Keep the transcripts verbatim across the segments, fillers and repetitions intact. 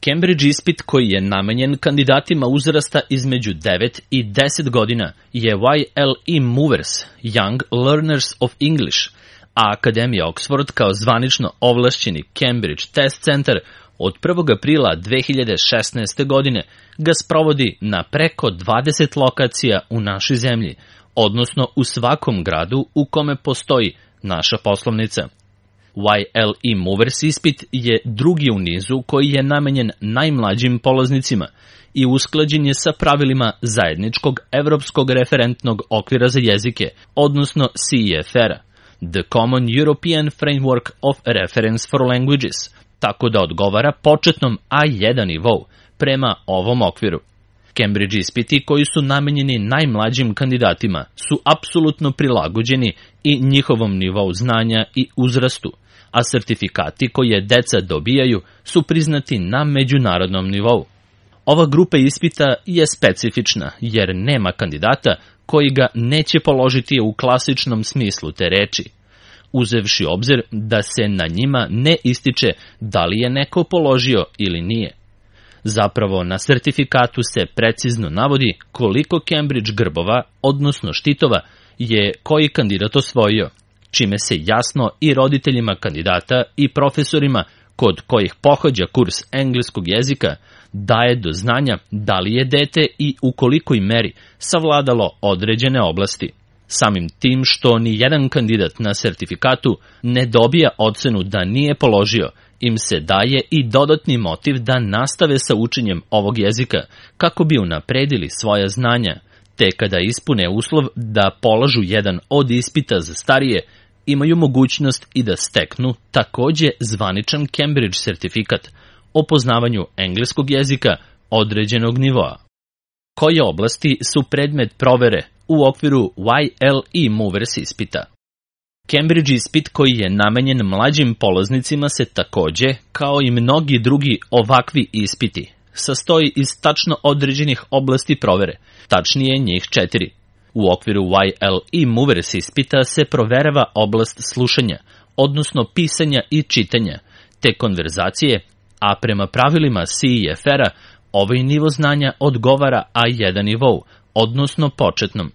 Cambridge ispit koji je namenjen kandidatima uzrasta između devet i deset godina je Y L E Movers, Young Learners of English, a Akademija Oxford kao zvanično ovlašćeni Cambridge Test Center od prvog aprila dve hiljade šesnaeste. godine ga sprovodi na preko dvadeset lokacija u našoj zemlji, odnosno u svakom gradu u kome postoji naša poslovnica. Y L E Movers ispit je drugi u nizu koji je namenjen najmlađim polaznicima i usklađen je sa pravilima zajedničkog evropskog referentnog okvira za jezike, odnosno C E F R-a, The Common European Framework of Reference for Languages, tako da odgovara početnom A jedan nivou prema ovom okviru. Cambridge ispiti koji su namenjeni najmlađim kandidatima su apsolutno prilagođeni i njihovom nivou znanja i uzrastu, a sertifikati koje deca dobijaju su priznati na međunarodnom nivou. Ova grupa ispita je specifična jer nema kandidata koji ga neće položiti u klasičnom smislu te reči, uzevši obzir da se na njima ne ističe da li je neko položio ili nije. Zapravo, na sertifikatu se precizno navodi koliko Cambridge grbova, odnosno štitova, je koji kandidat osvojio, čime se jasno i roditeljima kandidata i profesorima kod kojih pohađa kurs engleskog jezika daje do znanja da li je dete i u kolikoj meri savladalo određene oblasti. Samim tim što ni jedan kandidat na sertifikatu ne dobija ocenu da nije položio, im se daje i dodatni motiv da nastave sa učenjem ovog jezika kako bi unapredili svoja znanja, te kada ispune uslov da polažu jedan od ispita za starije, imaju mogućnost i da steknu takođe zvaničan Cambridge sertifikat o poznavanju engleskog jezika određenog nivoa. Koje oblasti su predmet provere u okviru Y L E Movers ispita? Cambridge ispit koji je namenjen mlađim polaznicima se takođe, kao i mnogi drugi ovakvi ispiti, sastoji iz tačno određenih oblasti provere, tačnije njih četiri. U okviru Y L E Movers ispita se proverava oblast slušanja, odnosno pisanja i čitanja, te konverzacije, a prema pravilima C E F R-a ovaj nivo znanja odgovara A jedan nivou, odnosno početnom.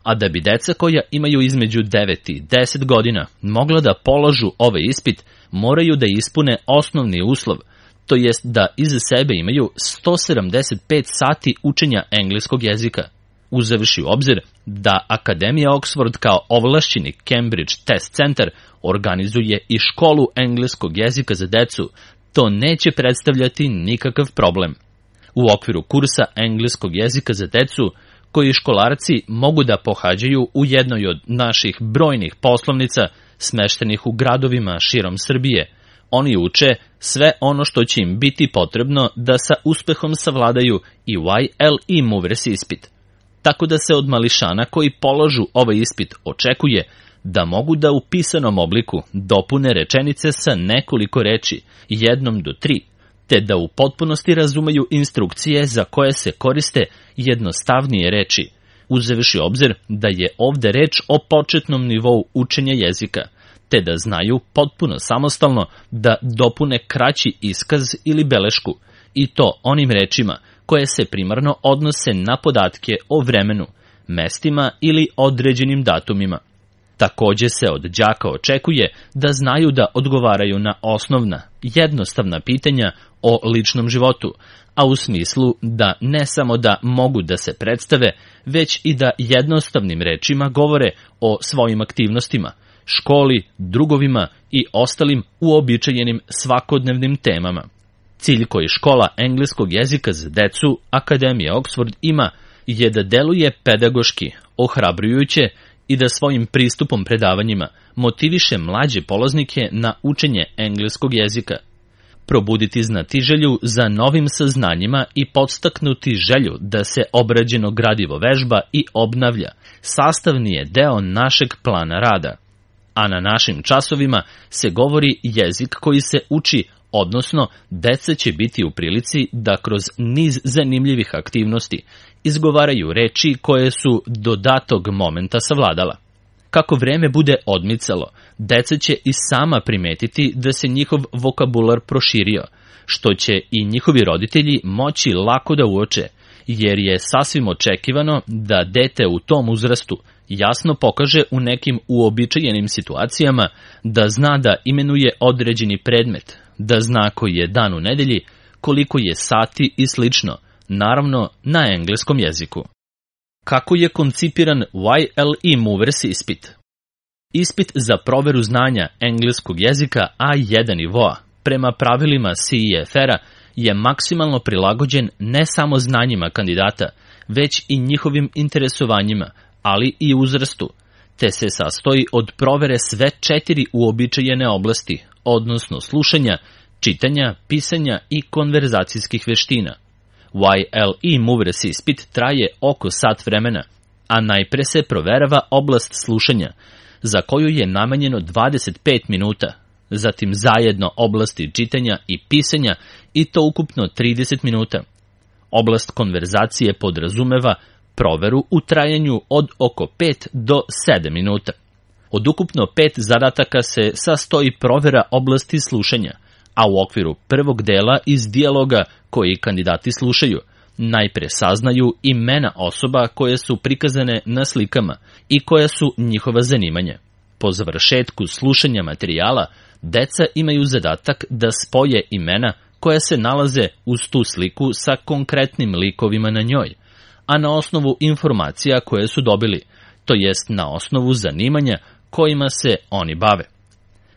A da bi deca koja imaju između devet i deset godina mogla da polažu ovaj ispit, moraju da ispune osnovni uslov, to jest da iza sebe imaju sto sedamdeset pet sati učenja engleskog jezika. Uzevši u obzir da Akademija Oxford kao ovlašćeni Cambridge Test Center organizuje i školu engleskog jezika za decu, to neće predstavljati nikakav problem. U okviru kursa engleskog jezika za decu, koji školarci mogu da pohađaju u jednoj od naših brojnih poslovnica smeštenih u gradovima širom Srbije, oni uče sve ono što će im biti potrebno da sa uspehom savladaju i Y L E Movers ispit. Tako da se od mališana koji polažu ovaj ispit očekuje da mogu da u pisanom obliku dopune rečenice sa nekoliko reči, jednom do tri, te da u potpunosti razumeju instrukcije za koje se koriste jednostavnije reči, uzevši obzir da je ovde reč o početnom nivou učenja jezika, te da znaju potpuno samostalno da dopune kraći iskaz ili belešku, i to onim rečima koje se primarno odnose na podatke o vremenu, mestima ili određenim datumima. Takođe se od đaka očekuje da znaju da odgovaraju na osnovna, jednostavna pitanja o ličnom životu, a u smislu da ne samo da mogu da se predstave, već i da jednostavnim rečima govore o svojim aktivnostima, školi, drugovima i ostalim uobičajenim svakodnevnim temama. Cilj koji škola engleskog jezika za decu Akademija Oxford ima je da deluje pedagoški, ohrabrujuće i da svojim pristupom predavanjima motiviše mlađe polaznike na učenje engleskog jezika. Probuditi znatiželju za novim saznanjima i podstaknuti želju da se obrađeno gradivo vežba i obnavlja sastavni je deo našeg plana rada. A na našim časovima se govori jezik koji se uči, odnosno deca će biti u prilici da kroz niz zanimljivih aktivnosti izgovaraju reči koje su do datog momenta savladala. Kako vreme bude odmicalo, deca će i sama primetiti da se njihov vokabular proširio, što će i njihovi roditelji moći lako da uoče, jer je sasvim očekivano da dete u tom uzrastu jasno pokaže u nekim uobičajenim situacijama da zna da imenuje određeni predmet, da zna koji je dan u nedelji, koliko je sati i slično, naravno na engleskom jeziku. Kako je koncipiran Y L E Movers ispit? Ispit za proveru znanja engleskog jezika A jedan nivoa prema pravilima C E F R-a je maksimalno prilagođen ne samo znanjima kandidata, već i njihovim interesovanjima, ali i uzrastu, te se sastoji od provere sve četiri uobičajene oblasti, odnosno slušanja, čitanja, pisanja i konverzacijskih veština. Y L E Movers ispit traje oko sat vremena, a najpre se proverava oblast slušanja, za koju je namenjeno dvadeset pet minuta, zatim zajedno oblasti čitanja i pisanja i to ukupno trideset minuta. Oblast konverzacije podrazumeva proveru u trajanju od oko pet do sedam minuta. Od ukupno pet zadataka se sastoji provera oblasti slušanja, a u okviru prvog dela iz dijaloga koji kandidati slušaju, najpre saznaju imena osoba koje su prikazane na slikama i koja su njihova zanimanja. Po završetku slušanja materijala, deca imaju zadatak da spoje imena koja se nalaze uz tu sliku sa konkretnim likovima na njoj, a na osnovu informacija koje su dobili, to jest na osnovu zanimanja kojima se oni bave.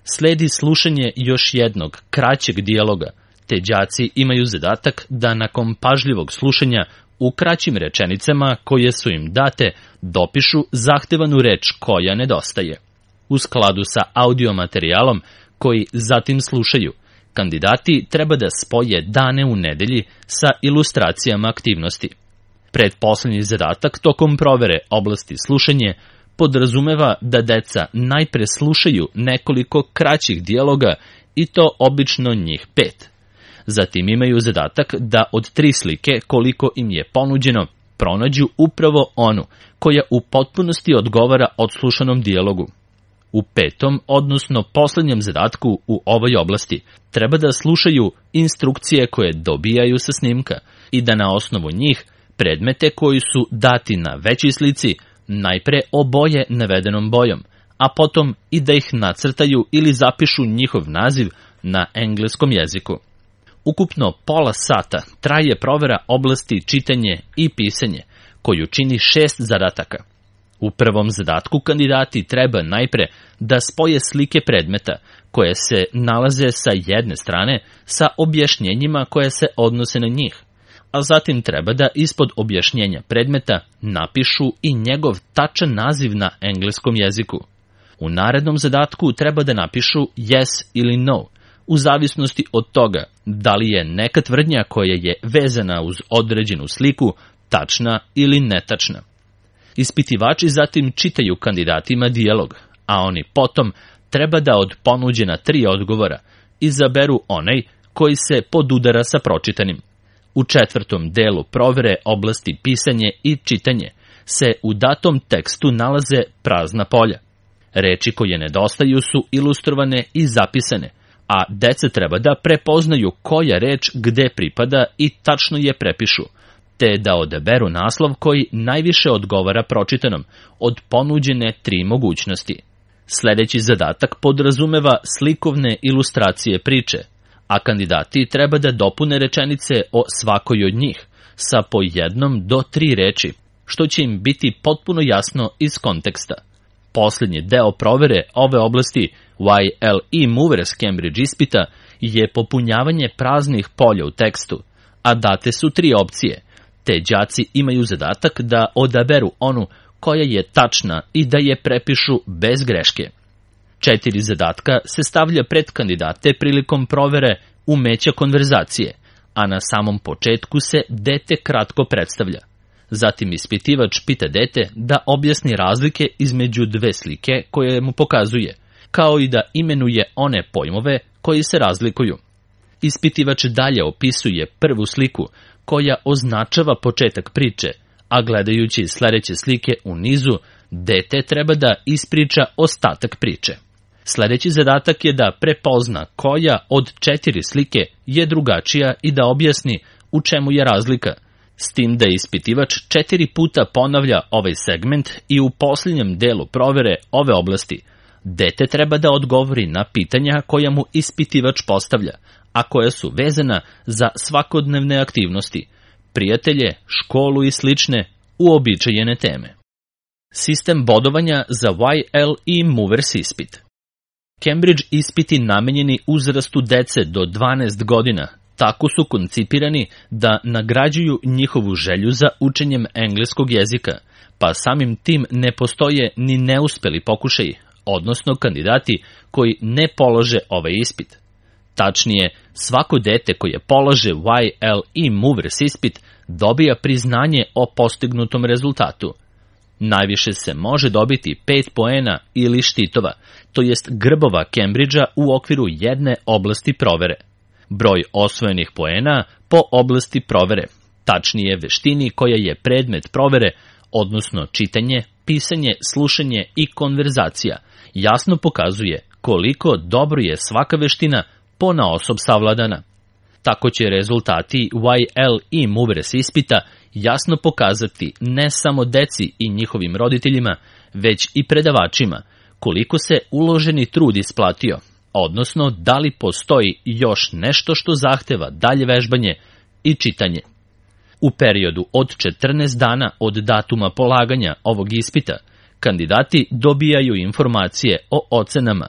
Sledi slušanje još jednog, kraćeg dijaloga, te đaci imaju zadatak da nakon pažljivog slušanja u kraćim rečenicama koje su im date dopišu zahtevanu reč koja nedostaje. U skladu sa audio materijalom koji zatim slušaju, kandidati treba da spoje dane u nedelji sa ilustracijama aktivnosti. Pretposlednji zadatak tokom provere oblasti slušanje podrazumeva da deca najpre slušaju nekoliko kraćih dijaloga i to obično njih pet. Zatim imaju zadatak da od tri slike koliko im je ponuđeno pronađu upravo onu koja u potpunosti odgovara odslušanom dijalogu. U petom, odnosno poslednjem zadatku u ovoj oblasti, treba da slušaju instrukcije koje dobijaju sa snimka i da na osnovu njih predmete koji su dati na većoj slici najpre oboje navedenom bojom, a potom i da ih nacrtaju ili zapišu njihov naziv na engleskom jeziku. Ukupno pola sata traje provera oblasti čitanje i pisanje, koju čini šest zadataka. U prvom zadatku kandidati treba najpre da spoje slike predmeta koje se nalaze sa jedne strane sa objašnjenjima koje se odnose na njih, a zatim treba da ispod objašnjenja predmeta napišu i njegov tačan naziv na engleskom jeziku. U narednom zadatku treba da napišu yes ili no, u zavisnosti od toga da li je neka tvrdnja koja je vezana uz određenu sliku tačna ili netačna. Ispitivači zatim čitaju kandidatima dijalog, a oni potom treba da od ponuđena tri odgovora izaberu onaj koji se podudara sa pročitanim. U četvrtom delu provere oblasti pisanje i čitanje se u datom tekstu nalaze prazna polja. Reči koje nedostaju su ilustrovane i zapisane, a deca treba da prepoznaju koja reč gde pripada i tačno je prepišu, te da odaberu naslov koji najviše odgovara pročitanom od ponuđene tri mogućnosti. Sledeći zadatak podrazumeva slikovne ilustracije priče, a kandidati treba da dopune rečenice o svakoj od njih sa po jednom do tri reči, što će im biti potpuno jasno iz konteksta. Poslednji deo provere ove oblasti Y L E Movers Cambridge ispita je popunjavanje praznih polja u tekstu, a date su tri opcije, te đaci imaju zadatak da odaberu onu koja je tačna i da je prepišu bez greške. Četiri zadatka se stavlja pred kandidate prilikom provere umeća konverzacije, a na samom početku se dete kratko predstavlja. Zatim ispitivač pita dete da objasni razlike između dve slike koje mu pokazuje, kao i da imenuje one pojmove koji se razlikuju. Ispitivač dalje opisuje prvu sliku koja označava početak priče, a gledajući sledeće slike u nizu, dete treba da ispriča ostatak priče. Sledeći zadatak je da prepozna koja od četiri slike je drugačija i da objasni u čemu je razlika, s tim da ispitivač četiri puta ponavlja ovaj segment i u posljednjem delu provere ove oblasti dete treba da odgovori na pitanja koja mu ispitivač postavlja, a koja su vezana za svakodnevne aktivnosti, prijatelje, školu i slične uobičajene teme. Sistem bodovanja za Y L E Movers ispit. Cambridge ispiti namenjeni uzrastu dece do dvanaest godina tako su koncipirani da nagrađuju njihovu želju za učenjem engleskog jezika, pa samim tim ne postoje ni neuspeli pokušaji, odnosno kandidati koji ne polože ovaj ispit. Tačnije, svako dete koje polože Y L E Movers ispit dobija priznanje o postignutom rezultatu. Najviše se može dobiti pet poena ili štitova, to jest grbova Cambridgea u okviru jedne oblasti provere. Broj osvojenih poena po oblasti provere, tačnije veštini koja je predmet provere, odnosno čitanje, pisanje, slušanje i konverzacija, jasno pokazuje koliko dobro je svaka veština ponaosob savladana. Tako će rezultati Y L E Movers ispita jasno pokazati ne samo deci i njihovim roditeljima, već i predavačima koliko se uloženi trud isplatio, odnosno da li postoji još nešto što zahteva dalje vežbanje i čitanje. U periodu od četrnaest dana od datuma polaganja ovog ispita, kandidati dobijaju informacije o ocenama,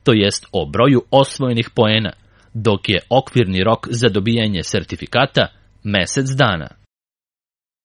to jest o broju osvojenih poena, dok je okvirni rok za dobijanje sertifikata mesec dana.